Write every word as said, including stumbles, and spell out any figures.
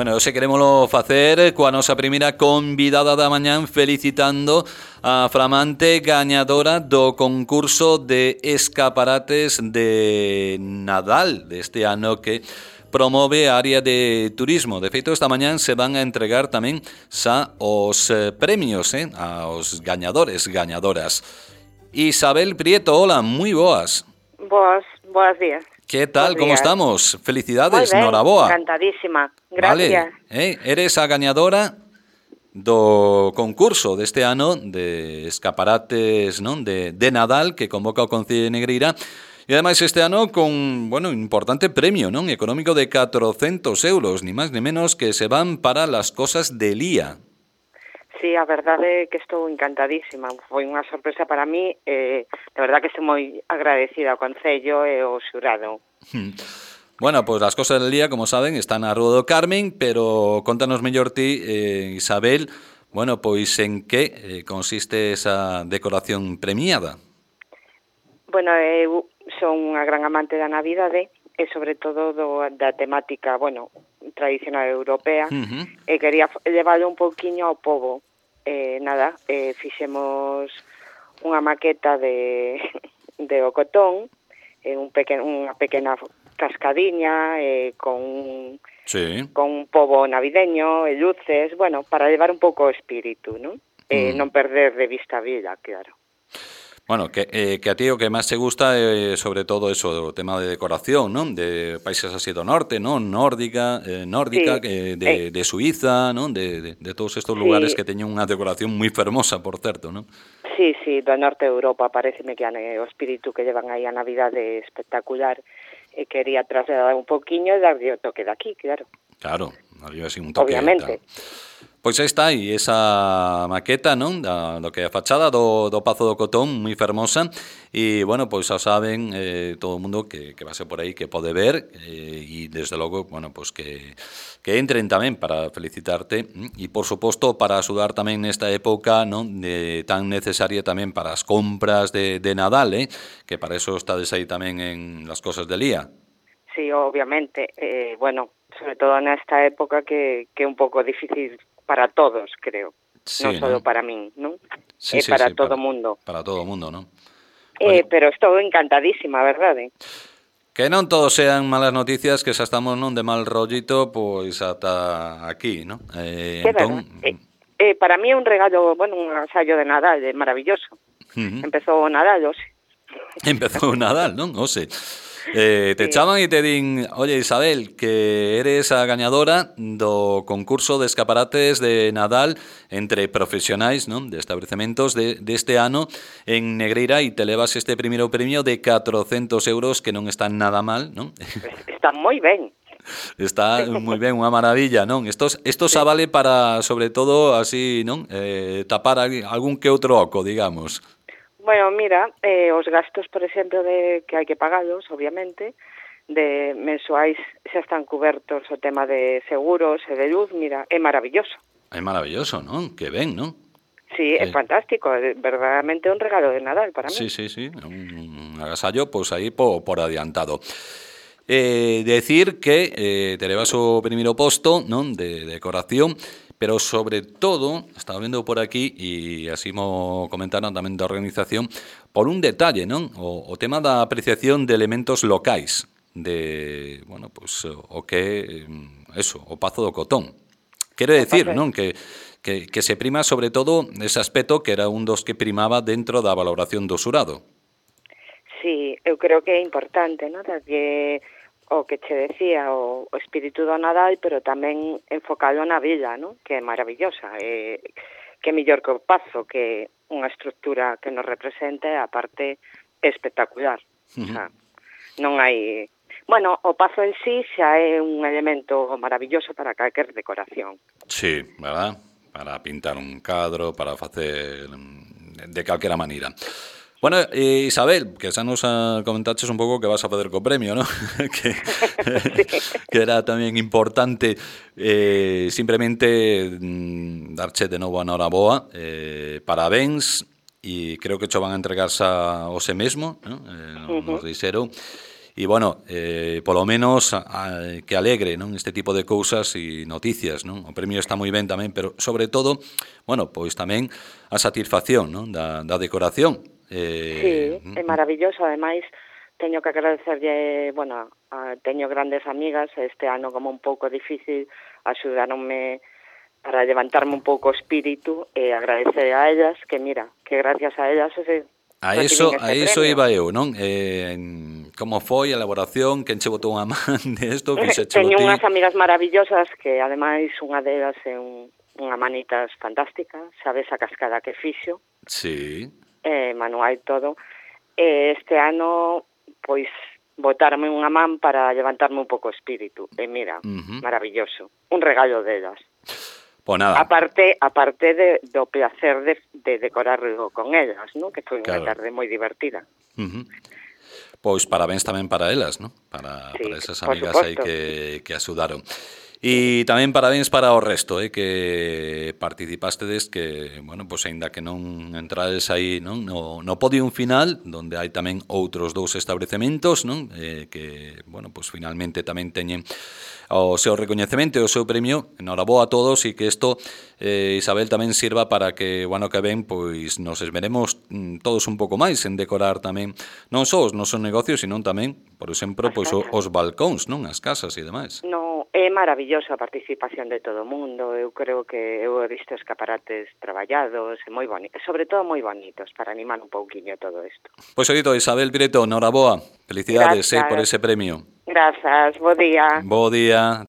Bueno, hoxe querémolo facer coa nosa primeira convidada da mañán, felicitando a flamante gañadora do concurso de escaparates de Nadal deste ano que promove a área de turismo. De feito, esta mañán se van a entregar tamén xa os eh, premios eh, aos gañadores, gañadoras. Isabel Prieto, hola, moi boas. Boas, boas días. Que tal, como estamos? Felicidades, moi ben, noraboa. encantadísima, gracias. Vale, eh, eres a gañadora do concurso deste ano de escaparates, non, de, de Nadal que convoca o Concello de Negreira. E ademais este ano con, bueno, importante premio, non, económico de catrocentos euros, ni máis ni menos, que se van para las cosas de Lía. Sí, a verdade é que estou encantadísima. Foi unha sorpresa para mí, eh, de verdad que estou moi agradecida ao Concello e ao xurado. Bueno, pois pues as cosas del Lía, como saben, están na Rúa do Carmen, pero contanos mellor ti, eh, Isabel, bueno, pois en que eh, consiste esa decoración premiada? Bueno, eu son unha gran amante da Navidade e sobre todo do, da temática, bueno, tradicional europea, Uh-huh. e quería levarlo un pouquiño ao pobo. Eh, nada, eh, fixemos unha maqueta de, de Ocotón, eh, un pequeno, unha pequena cascadiña eh, con, Sí. con un pobo navideño e luces, bueno, para levar un pouco o espírito, non? Eh, Mm. non perder de vista a vida, claro. Bueno, que, eh, que a ti o que máis te gusta é eh, sobre todo eso, o tema de decoración, non? De países así do norte, non? Nórdica, eh, nórdica, Sí. eh, de, Eh. de Suiza, non? De, de, de todos estos Sí. lugares que teñen unha decoración moi fermosa, por certo, non? Sí, sí, do norte de Europa, pareceme que o espírito que llevan aí a Navidade é espectacular, e quería trasladar un poquinho e darlle o toque de aquí, claro. Claro, había así un toque. Obviamente. Tal. Pois aí está, e esa maqueta, non? Da, do que é a fachada do, do Pazo do Cotón, moi fermosa, e, bueno, pois xa saben eh, todo o mundo que, que va ser por aí, que pode ver, eh, e, desde logo, bueno, pois que, que entren tamén para felicitarte, e, por suposto, para axudar tamén nesta época, non? De, tan necesaria tamén para as compras de, de Nadal, eh? Que para eso estades aí tamén en las cosas de Lía. Sí, obviamente, eh, bueno, sobre todo nesta época que, que é un pouco difícil para todos, creo. Sí, non só ¿no? para min, non? Sí, É sí, para sí, todo o para, mundo. Para todo o mundo, non? Eh, Oye, pero estou encantadísima, verdade? que non todos sean malas noticias, que xa estamos non de mal rollito, pois ata aquí, non? Eh, É entón, verdade. Eh, eh, para mí é un regalo, bueno, un agasallo de Nadal, é maravilloso. uh-huh. Empezou o Nadal, hoxe. Empezou o Nadal, non? Ose. Eh, te Sí. chaman e te din, oye, Isabel, que eres a gañadora do concurso de escaparates de Nadal entre profesionais, non? De establecementos de, deste ano en Negreira, e te levas este primeiro premio de catrocentos euros, que non está nada mal, non? Está moi ben. Está moi ben, unha maravilla, non? Estos, esto xa vale para, sobre todo, así, non? Eh, tapar algún que outro oco, digamos. Bueno, mira, eh, os gastos, por exemplo, de que hai que pagalos, obviamente, de mensuais xa están cubertos o tema de seguros e de luz, mira, é maravilloso. É maravilloso, non? Que ben, non? Sí, é Eh. fantástico, é verdadeiramente un regalo de Nadal para mí. Sí, sí, sí, un agasallo, pois aí por, por adiantado. Eh, decir que eh, te levas o primeiro posto, non? De decoración, pero sobre todo, estaba vendo por aquí, e así mo comentaron tamén da organización, por un detalle, non? O, o tema da apreciación de elementos locais, de, bueno, pues, o que, eso, o Pazo do Cotón. Quero decir, non? Que, que, que se prima sobre todo ese aspecto que era un dos que primaba dentro da valoración do xurado. Sí, eu creo que é importante, non? Que o que che decía, o, o espírito do Nadal, pero tamén enfocado na vila, non? Que é maravillosa, eh, que é mellor que o Pazo, que unha estructura que nos representa, e a parte espectacular. Uh-huh. O sea, non hai... Bueno, o Pazo en sí xa é un elemento maravilloso para calquer decoración. Sí, verdad? Para pintar un cadro, para facer de calquera maneira. Bueno, eh, Isabel, que xa nos comentaches un pouco que vas a facer co premio, ¿no? que, sí. que era tamén importante eh, simplemente mm, darche de novo a noraboa, eh, parabéns, e creo que cho van a entregar xa hoxe mesmo, ¿no? Eh, uh-huh. Nos dixeron. E, bueno, eh, polo menos a, a, que alegre, non, este tipo de cousas e noticias, non? O premio está moi ben tamén, pero sobre todo, bueno, pois tamén a satisfacción, non, da, da decoración. Eh, sí, é maravilloso, ademais teño que agradecerlle, bueno, a, teño grandes amigas, este ano como un pouco difícil, axudaronme para levantarme un pouco o espírito e agradecer a ellas, que mira, que gracias a ellas ese, a eso, a eso iba eu, non? Eh, como foi a elaboración, quen che botou unha man de isto? Teño unhas amigas maravillosas que ademais unha delas é un, unha manitas fantástica, sabes a cascada que fixo. Sí. Eh, manual todo. E este ano, pois, botarme unha man para levantarme un pouco o espírito. E mira, uh-huh. maravilloso. Un regalo delas. Pues nada. Aparte, aparte de, do placer de, de decorarlo con ellas, ¿no? Que foi unha claro. tarde moi divertida. Uh-huh. Pois parabéns tamén para elas, ¿no? Para, sí, para esas amigas aí que, que axudaron. E tamén parabéns para o resto, eh, que participastedes, que, bueno, pois aínda que non entrades aí, non, no, no podium final, donde hai tamén outros dous establecementos, non, eh, que, bueno, pois finalmente tamén teñen o seu recoñecemento e o seu premio. Enhoraboa a todos e que isto, eh, Isabel, tamén sirva para que o ano que ven pois nos esmeremos mm, todos un pouco máis en decorar tamén non só os nosos negocios, sino tamén, por exemplo, pois os, os balcóns, non, as casas e demais. No, é maravillosa a participación de todo o mundo. Eu creo que eu he visto escaparates traballados e moi bonitos, sobre todo moi bonitos, para animar un pouquiño todo isto. Pois oído, Isabel Pireto, enhoraboa. Felicidades eh, por ese premio. Grazas, bo día. Bo día.